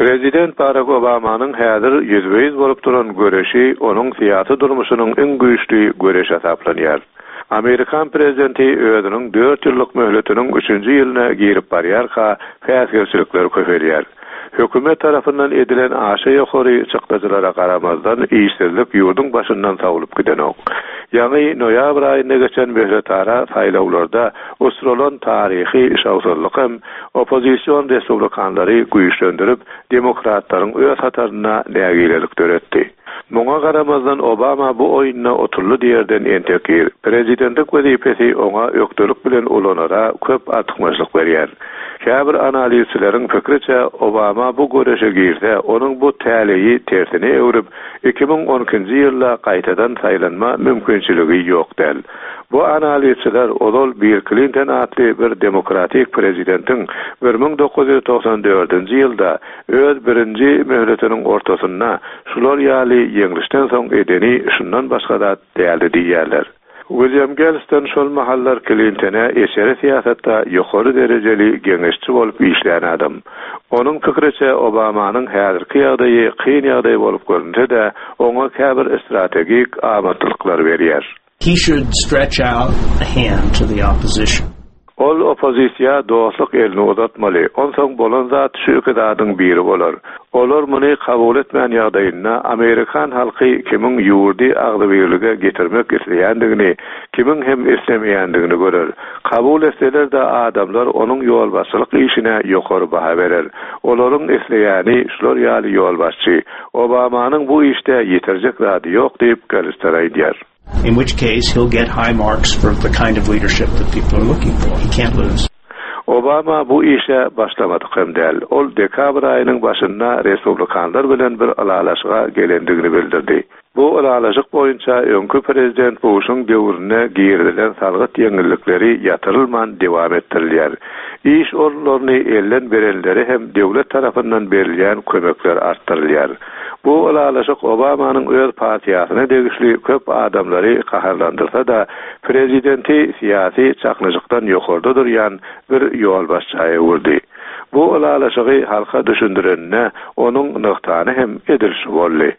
Prezident Barak Obamanyň häzir ýüzbe-ýüz bolup duran göreşi onuň syýasy durmuşynyň iň güýçli göreşi hasaplanýar. Amerikan prezidenti özüniň dört ýyllyk möhletiniň üçünji ýylyna girip barýarka, päsgelçilikler köpelýär. Hökümet tarapyndan edilen aşa ýokary çykdajylara garamazdan, işsizlik ýurduň başyndan sowlup gidenok. Ýaňy noýabr aýynda geçen möhletara saýlawlarda uçralan taryhy şowsuzlyk hem Oppozision respublikanlary güýçlendirip, demokratlaryň öz hatarynda nägilelik döretdi. Muňa garamazdan Obama bu oýunda otuldy diýerden entek ir. Prezidentlik wezipesi oňa ökdelik bilen ulanara köp artykmaçlyk berýär. Käbir analizçileriň pikriçe, Obama bu göreşe girse, onuň bu täleýi tersine öwrüp, 2012-nji ýylda gaýtadan saýlanma mümkinçiligi ýok däl. Bu analizçiler ozal Bill Klinton atly bir demokratik prezidentiň 1994-nji ýylda öz birinji möhletiniň ortasynda şular ýaly ýeňlişden soň edeni şundan başga zat däldi diýýärler. Wilýam Gelston şol mahallar Klintone içeri syýasatda ýokary derejeli geňeşçi bolup işlän adam. Onuň pikiriçe, Obamanyň häzirki ýagdaýy kyn ýagdaý bolup görünse-de, oňa käbir strategik amatlyklar berýär. He should stretch out a hand to the opposition. Ol oppozisiýa dostluk elini uzatmaly. Onsoň bolan zat şu iki zadyň biri bolar. Olar muny kabul etmän ýagdaýynda amerikan halky kimiň ýurdy agzybirlige getirmek isleýändigini, kimiň hem islemeýändigini görer. Kabul etseler-de adamlar onuň ýolbaşçylyk işine ýokary baha berer. Olaryň isleýäni şular ýaly ýolbaşçy. Obamanyň bu işde ýitirjek zady ýok diýip, Gallister aýdýar. In which case he'll get high marks for the kind of leadership that people are looking for. He can't lose. Obama bu işe başlamadyk hem däl. Ol dekabr aýynyň başynda respublikanlar bilen bir ylalaşyga gelendigini bildirdi. Bu ylalaşyk boýunça öňki prezident Buşuň döwründe girizilen salgyt ýeňillikleri ýatyrylman dewam etdirilýär. Iş orunlaryny elden berenlere hem döwlet tarapyndan berilýän kömekler artdyrylýar. Bu ylalaşyk Obamanyň öz partiýasyna degişli köp adamlary gaharlandyrsa-da, prezidenti syýasy çaknyşykdan ýokarda durýan bir ýolbaşça öwürdi. Bu ylalaşygy halka düşündireninde onuň nygtany hem edil şu boldy.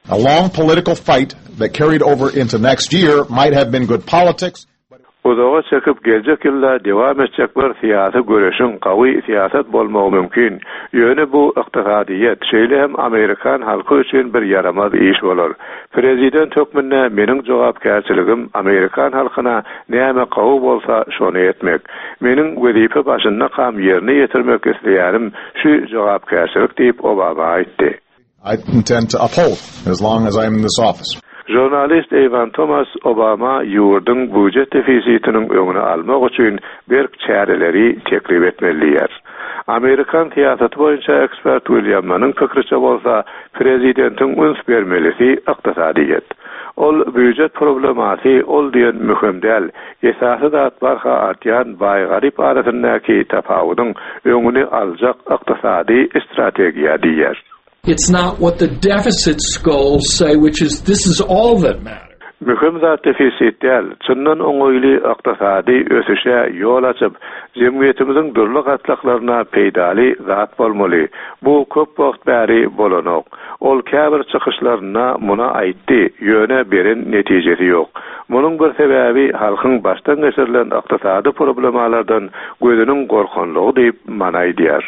A long political fight that carried over into next year might have been good politics, but it. Uzaga çekip geljek ýylda dewam etjek bir syýasy göreşiň gawy syýasat bolmagy mümkin, ýöne bu ykdysadyýet, şeýle hem amerikan halky üçin bir ýaramaz iş bolar. Prezident hökmünde meniň jogapkärçiligim amerikan halkyna näme gawy bolsa şony etmek. Meniň wezipe başyndakam ýerine ýetirmek isleýänim şu jogapkärçilik diýip Obama aýtdy. I intend to uphold as long as I am in this office. Žurnalist Ewan Tomas Obama ýurduň býujet defisitiniň öňüni almak üçin berk çäreleri teklip etmeli diýýär. Amerikan syýasaty boýunça ekspert William Manyň pikriçe bolsa, prezidentiň üns bermelisi ykdysadyýet. Ol býujet problemasy ol diýen möhüm däl, esasy zat barha artýan baý-garyp arasyndaky tapawudyň öňüni aljak ykdysady strategiýa diýýär. It's not what the deficit skulls say, which is this is all that matters. Möhüm zat defisit däl, çyndan oňaýly ykdysady ösüşe ýol açyp, jemgyýetimiziň dürli gatlaklaryna peýdaly zat bolmaly. Bu köp wagt bäri bolanok. Ol käbir çykyşlarynda muny aýtdy, ýöne beren netijesi ýok. Munuň bir sebäbi halkyň başdan geçirilen ykdysady problemalardan gözüniň gorkanlygy diýip, Mann aýdýar.